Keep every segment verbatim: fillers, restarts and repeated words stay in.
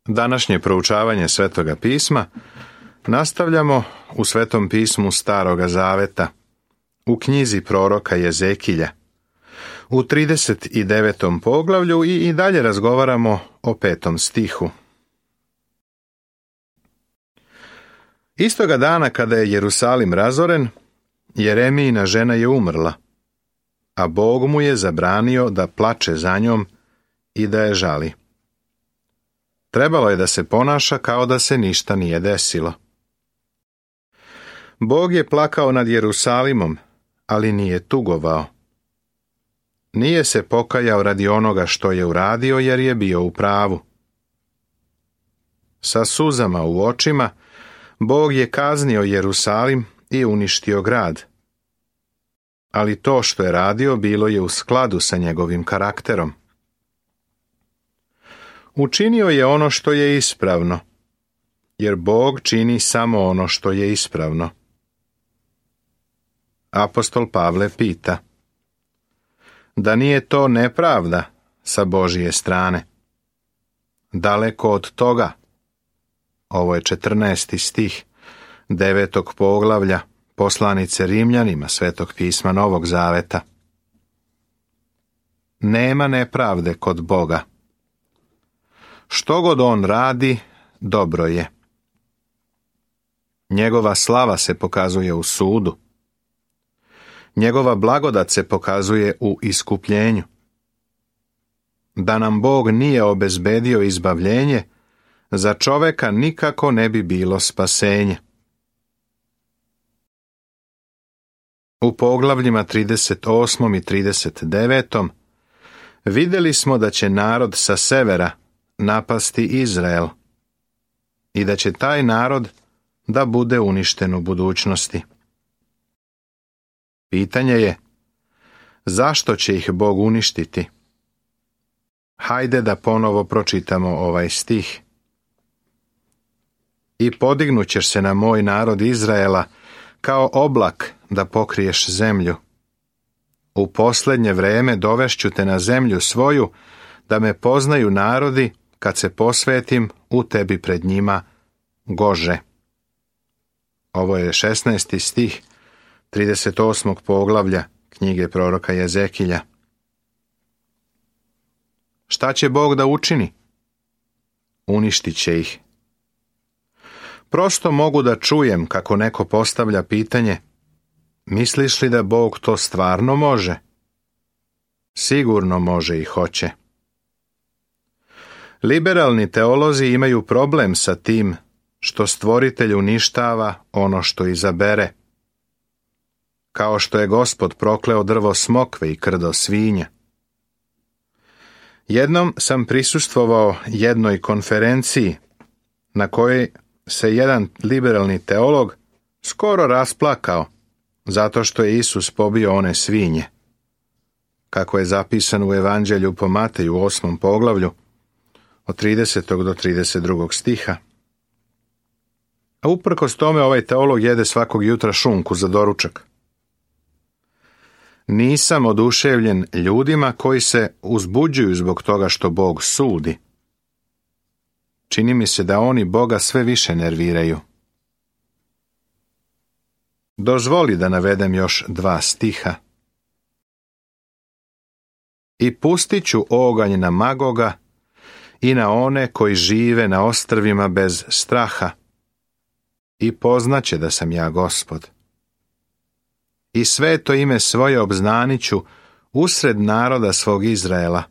Današnje proučavanje Svetoga pisma nastavljamo u Svetom pismu Staroga Zaveta, u knjizi proroka Jezekilja, u trideset devetom poglavlju i, i dalje razgovaramo o petom stihu. Istoga dana kada je Jerusalim razoren, Jeremijina žena je umrla, a Bog mu je zabranio da plače za njom i da je žali. Trebalo je da se ponaša kao da se ništa nije desilo. Bog je plakao nad Jerusalimom, ali nije tugovao. Nije se pokajao radi onoga što je uradio, jer je bio u pravu. Sa suzama u očima, Bog je kaznio Jerusalim i uništio grad. Ali to što je radio bilo je u skladu sa njegovim karakterom. Učinio je ono što je ispravno, jer Bog čini samo ono što je ispravno. Apostol Pavle pita: da nije to nepravda sa Božije strane? Daleko od toga. Ovo je četrnaesti stih devetog poglavlja poslanice Rimljanima Svetog pisma Novog Zaveta. Nema nepravde kod Boga. Što god on radi, dobro je. Njegova slava se pokazuje u sudu. Njegova blagodat se pokazuje u iskupljenju. Da nam Bog nije obezbedio izbavljenje, za čoveka nikako ne bi bilo spasenje. U poglavljima trideset osmom i trideset devetom vidjeli smo da će narod sa severa napasti Izrael i da će taj narod da bude uništen u budućnosti. Pitanje je, zašto će ih Bog uništiti? Hajde da ponovo pročitamo ovaj stih. I podignut ćeš se na moj narod Izraela kao oblak da pokriješ zemlju. U posljednje vreme dovešću te na zemlju svoju, da me poznaju narodi, kad se posvetim u tebi pred njima, Gože. Ovo je šesnaesti stih trideset osmog poglavlja knjige proroka Jezekilja. Šta će Bog da učini? Uništit će ih. Prosto mogu da čujem kako neko postavlja pitanje: misliš li da Bog to stvarno može? Sigurno može i hoće. Liberalni teolozi imaju problem sa tim što Stvoritelj uništava ono što izabere. Kao što je Gospod prokleo drvo smokve i krdo svinja. Jednom sam prisustvovao jednoj konferenciji na kojoj se jedan liberalni teolog skoro rasplakao zato što je Isus pobio one svinje, kako je zapisano u Evanđelju po Mateju u osmom poglavlju od tridesetog do trideset drugog stiha. A uprkos tome ovaj teolog jede svakog jutra šunku za doručak. Nisam oduševljen ljudima koji se uzbuđuju zbog toga što Bog sudi. Čini mi se da oni Boga sve više nerviraju. Dozvoli da navedem još dva stiha. I pustit ću oganj na Magoga i na one koji žive na ostrvima bez straha, i poznaće da sam ja Gospod. I sveto ime svoje obznaniću usred naroda svog Izraela,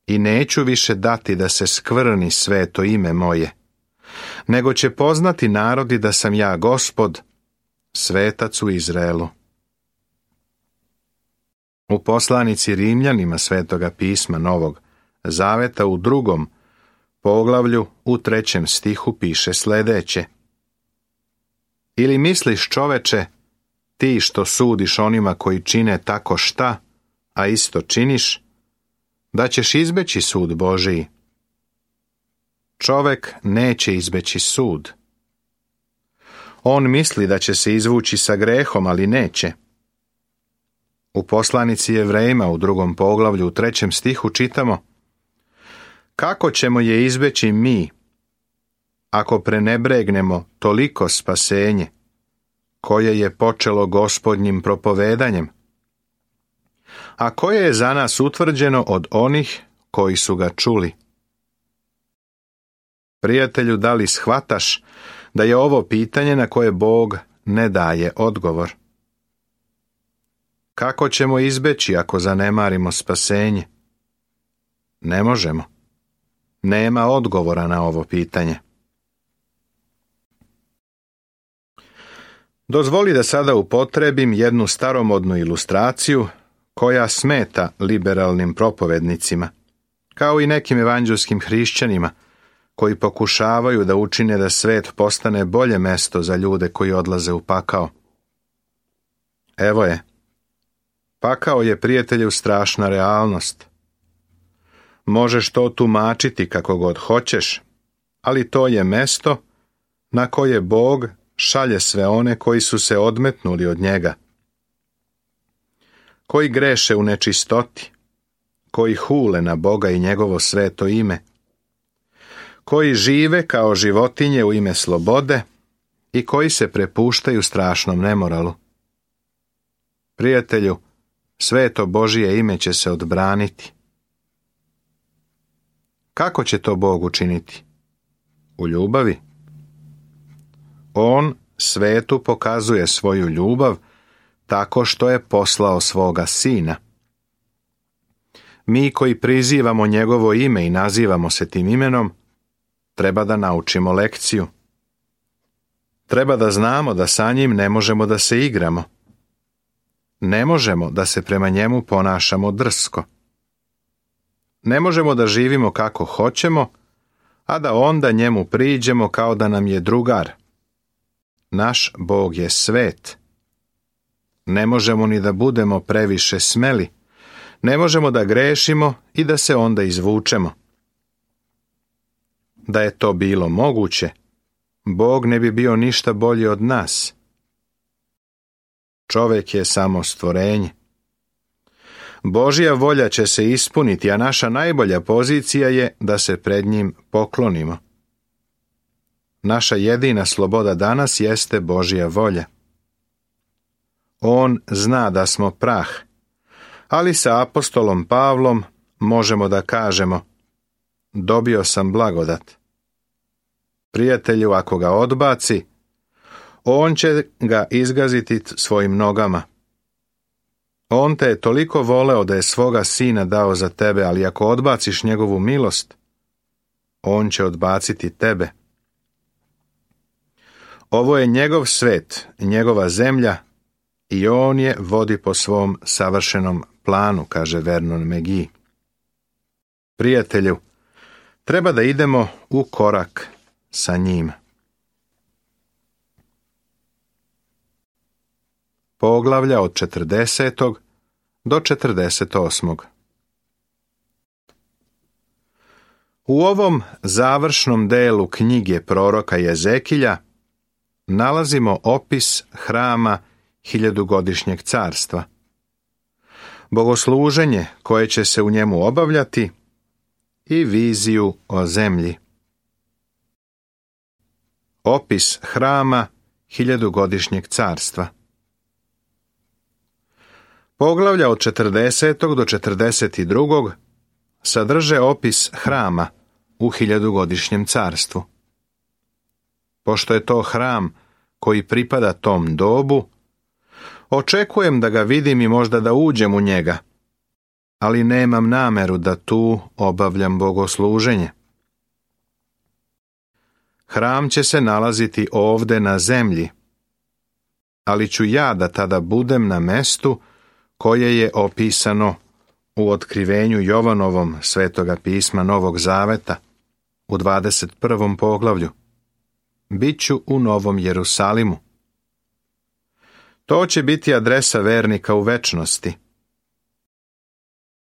i neću više dati da se skvrni sveto ime moje, nego će poznati narodi da sam ja Gospod, svetac u Izraelu. U poslanici Rimljanima Svetoga pisma Novog Zaveta u drugom poglavlju u trećem stihu piše sljedeće: ili misliš, čoveče, ti što sudiš onima koji čine tako šta, a isto činiš, da ćeš izbeći sud Božiji? Čovek neće izbeći sud. On misli da će se izvući sa grehom, ali neće. U poslanici Jevrejima u drugom poglavlju u trećem stihu čitamo: Kako ćemo je izbeći mi, ako prenebregnemo toliko spasenje, koje je počelo Gospodnjim propovedanjem, a koje je za nas utvrđeno od onih koji su ga čuli? Prijatelju, da li shvataš da je ovo pitanje na koje Bog ne daje odgovor? Kako ćemo izbeći ako zanemarimo spasenje? Ne možemo. Nema odgovora na ovo pitanje. Dozvoli da sada upotrebim jednu staromodnu ilustraciju koja smeta liberalnim propovednicima, kao i nekim evanđelskim hrišćanima koji pokušavaju da učine da svet postane bolje mesto za ljude koji odlaze u pakao. Evo je. Pakao je, prijatelju, strašna realnost. Možeš to tumačiti kako god hoćeš, ali to je mesto na koje Bog šalje sve one koji su se odmetnuli od njega, koji greše u nečistoti, koji hule na Boga i njegovo sveto ime, koji žive kao životinje u ime slobode i koji se prepuštaju strašnom nemoralu. Prijatelju, sveto Božije ime će se odbraniti. Kako će to Bog učiniti? U ljubavi. On svetu pokazuje svoju ljubav tako što je poslao svoga Sina. Mi koji prizivamo njegovo ime i nazivamo se tim imenom, treba da naučimo lekciju. Treba da znamo da sa njim ne možemo da se igramo. Ne možemo da se prema njemu ponašamo drsko. Ne možemo da živimo kako hoćemo, a da onda njemu priđemo kao da nam je drugar. Naš Bog je svet. Ne možemo ni da budemo previše smeli. Ne možemo da grešimo i da se onda izvučemo. Da je to bilo moguće, Bog ne bi bio ništa bolji od nas. Čovjek je samo stvorenje. Božja volja će se ispuniti, a naša najbolja pozicija je da se pred njim poklonimo. Naša jedina sloboda danas jeste Božja volja. On zna da smo prah, ali sa apostolom Pavlom možemo da kažemo: dobio sam blagodat. Prijatelju, ako ga odbaci, on će ga izgaziti svojim nogama. On te je toliko voleo da je svoga Sina dao za tebe, ali ako odbaciš njegovu milost, on će odbaciti tebe. Ovo je njegov svet, njegova zemlja, i on je vodi po svom savršenom planu, kaže Vernon McGee. Prijatelju, treba da idemo u korak sa njim. Poglavlja od četrdesetog do četrdeset osmog. U ovom završnom delu knjige proroka Jezekilja nalazimo opis hrama hiljadugodišnjeg carstva, bogosluženje koje će se u njemu obavljati i viziju o zemlji. Opis hrama hiljadugodišnjeg carstva. Poglavlja od četrdesetog do četrdeset drugog sadrže opis hrama u hiljadugodišnjem carstvu. Pošto je to hram koji pripada tom dobu, očekujem da ga vidim i možda da uđem u njega, ali nemam nameru da tu obavljam bogosluženje. Hram će se nalaziti ovde na zemlji, ali ću ja da tada budem na mestu koje je opisano u otkrivenju Jovanovom Svetoga pisma Novog Zaveta u dvadeset prvom poglavlju. Biću u Novom Jerusalimu. To će biti adresa vernika u večnosti.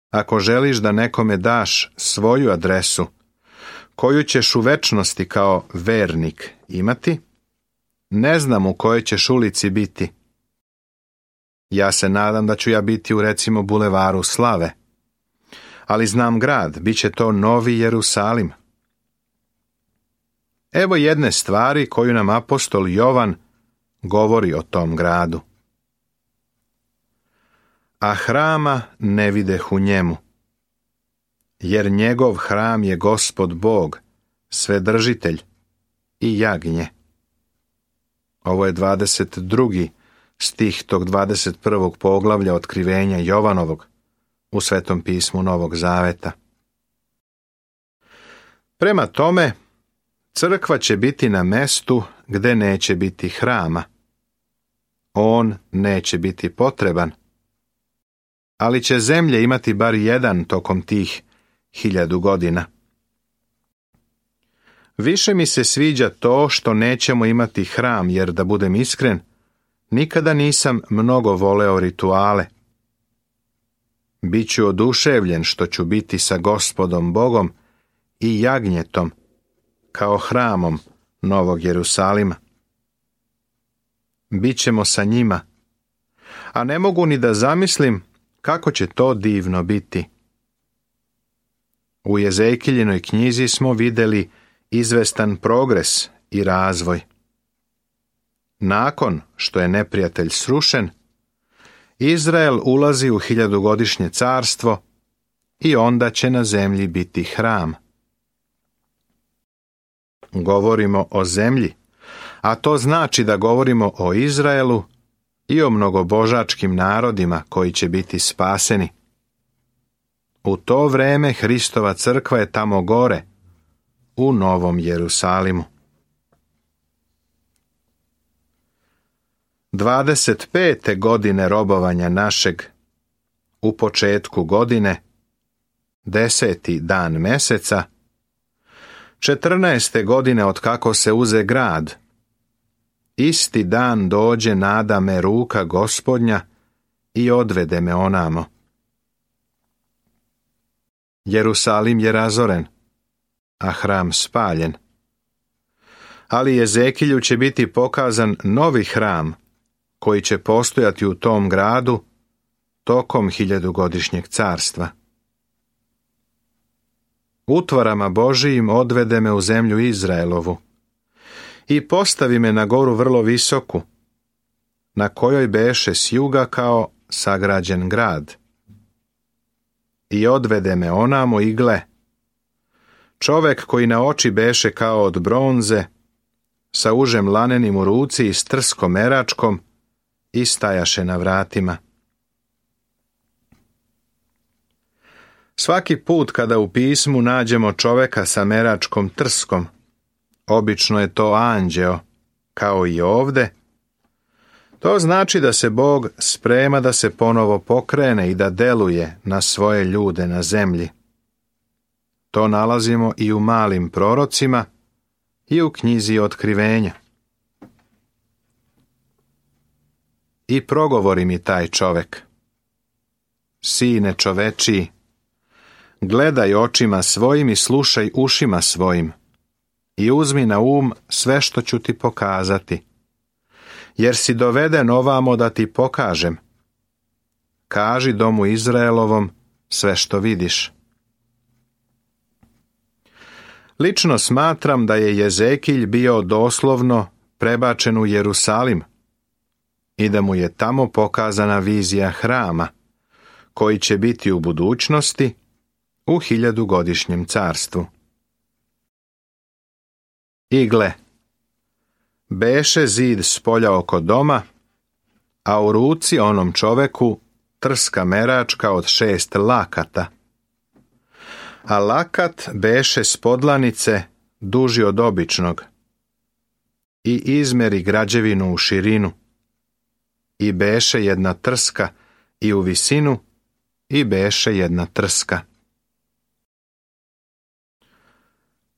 Ako želiš da nekome daš svoju adresu, koju ćeš u večnosti kao vernik imati, ne znam u kojoj ćeš ulici biti. Ja se nadam da ću ja biti u recimo bulevaru Slave, ali znam grad, bit će to Novi Jerusalim. Evo jedne stvari koju nam apostol Jovan govori o tom gradu. A hrama ne videh u njemu, jer njegov hram je Gospod Bog, Svedržitelj i jagnje. Ovo je dvadeset drugi stih tog dvadeset prvog poglavlja otkrivenja Jovanovog u Svetom pismu Novog Zaveta. Prema tome, crkva će biti na mestu gde neće biti hrama. On neće biti potreban, ali će zemlje imati bar jedan tokom tih hiljadu godina. Više mi se sviđa to što nećemo imati hram, jer da budem iskren, nikada nisam mnogo voleo rituale. Biću oduševljen što ću biti sa Gospodom Bogom i jagnjetom, kao hramom Novog Jerusalima. Bićemo sa njima, a ne mogu ni da zamislim kako će to divno biti. U Jezekijlinoj knjizi smo vidjeli izvestan progres i razvoj. Nakon što je neprijatelj srušen, Izrael ulazi u hiljadugodišnje carstvo i onda će na zemlji biti hram. Govorimo o zemlji, a to znači da govorimo o Izraelu i o mnogobožačkim narodima koji će biti spaseni. U to vreme Hristova crkva je tamo gore, u Novom Jerusalimu. dvadeset pete godine robovanja našeg, u početku godine, deseti dan meseca, četrnaeste godine od kako se uze grad, isti dan dođe nada me ruka Gospodnja i odvede me onamo. Jerusalim je razoren, a hram spaljen. Ali Jezekilju će biti pokazan novi hram, koji će postojati u tom gradu tokom hiljadugodišnjeg carstva. Utvarama Božijim odvede me u zemlju Izraelovu i postavi me na goru vrlo visoku, na kojoj beše s juga kao sagrađen grad. I odvede me onamo i gle, čovek koji na oči beše kao od bronze, sa užem lanenim u ruci i s trskom meračkom, i stajaše na vratima. Svaki put kada u pismu nađemo čoveka sa meračkom trskom, obično je to anđeo, kao i ovde, to znači da se Bog sprema da se ponovo pokrene i da deluje na svoje ljude na zemlji. To nalazimo i u malim prorocima i u knjizi Otkrivenja. I progovori mi taj čovek: Sine čovečiji, gledaj očima svojim i slušaj ušima svojim i uzmi na um sve što ću ti pokazati, jer si doveden ovamo da ti pokažem. Kaži domu Izraelovom sve što vidiš. Lično smatram da je Jezekilj bio doslovno prebačen u Jerusalim i da mu je tamo pokazana vizija hrama, koji će biti u budućnosti u hiljadugodišnjem carstvu. I gle, beše zid s polja oko doma, a u ruci onom čoveku trska meračka od šest lakata. A lakat beše s podlanice duži od običnog i izmeri građevinu u širinu. I beše jedna trska i u visinu i beše jedna trska.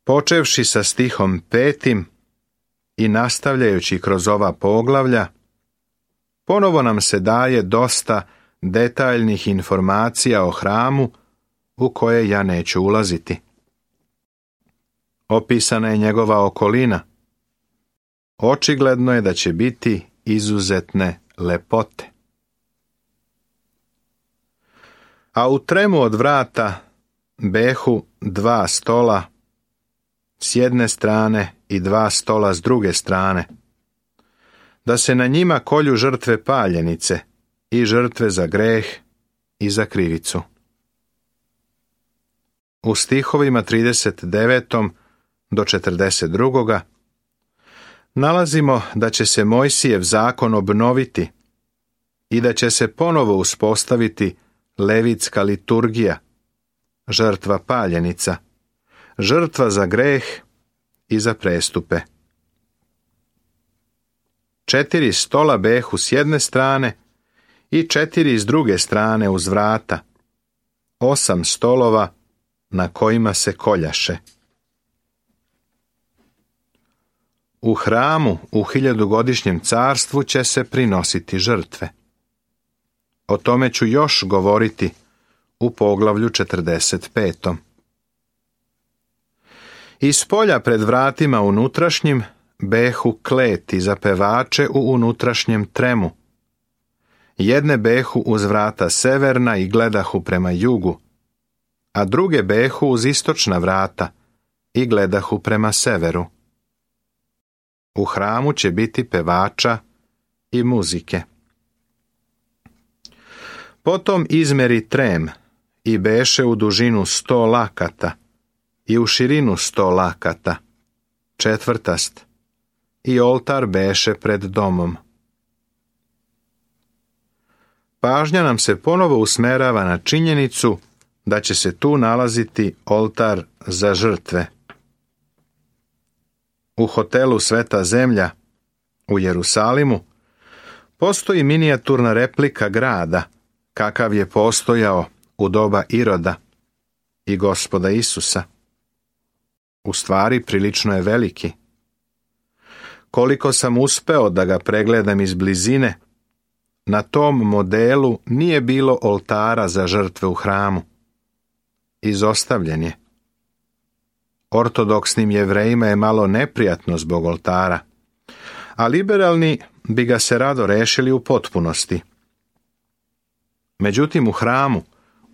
Počevši sa stihom petim i nastavljajući kroz ova poglavlja, ponovo nam se daje dosta detaljnih informacija o hramu u koje ja neću ulaziti. Opisana je njegova okolina. Očigledno je da će biti izuzetne lepote. A u tremu od vrata behu dva stola s jedne strane i dva stola s druge strane, da se na njima kolju žrtve paljenice i žrtve za greh i za krivicu. U stihovima trideset devet do četrdeset dva nalazimo da će se Mojsijev zakon obnoviti i da će se ponovo uspostaviti levitska liturgija, žrtva paljenica, žrtva za greh i za prestupe. Četiri stola behu s jedne strane i četiri s druge strane uz vrata, osam stolova na kojima se koljaše. U hramu u hiljadugodišnjem carstvu će se prinositi žrtve. O tome ću još govoriti u poglavlju četrdeset pet. Iz polja pred vratima unutrašnjim behu kleti za pevače u unutrašnjem tremu. Jedne behu uz vrata severna i gledahu prema jugu, a druge behu uz istočna vrata i gledahu prema severu. U hramu će biti pevača i muzike. Potom izmeri trem i beše u dužinu sto lakata i u širinu sto lakata, četvrtast, i oltar beše pred domom. Pažnja nam se ponovo usmerava na činjenicu da će se tu nalaziti oltar za žrtve. U hotelu Sveta zemlja u Jerusalimu postoji minijaturna replika grada kakav je postojao u doba Iroda i Gospoda Isusa. U stvari prilično je veliki. Koliko sam uspeo da ga pregledam iz blizine, na tom modelu nije bilo oltara za žrtve u hramu. Izostavljen je. Ortodoksnim Jevrejima je malo neprijatno zbog oltara, a liberalni bi ga se rado rešili u potpunosti. Međutim, u hramu,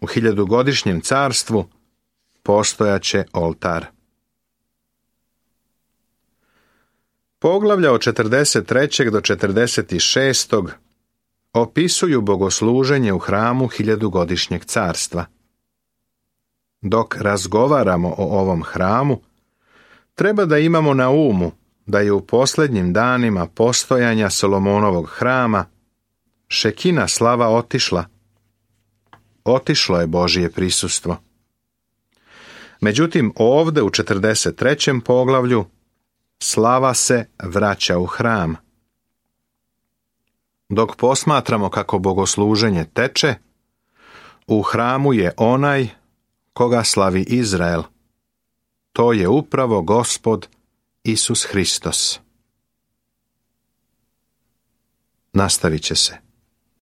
u hiljadugodišnjem carstvu, postojaće oltar. Poglavlja od četrdeset tri do četrdeset šest opisuju bogosluženje u hramu hiljadugodišnjeg carstva. Dok razgovaramo o ovom hramu, treba da imamo na umu da je u posljednjim danima postojanja Solomonovog hrama šekina slava otišla. Otišlo je Božje prisustvo. Međutim, ovde u četrdeset trećem poglavlju slava se vraća u hram. Dok posmatramo kako bogosluženje teče, u hramu je onaj koga slavi Izrael. To je upravo Gospod Isus Hristos. Nastavit će se.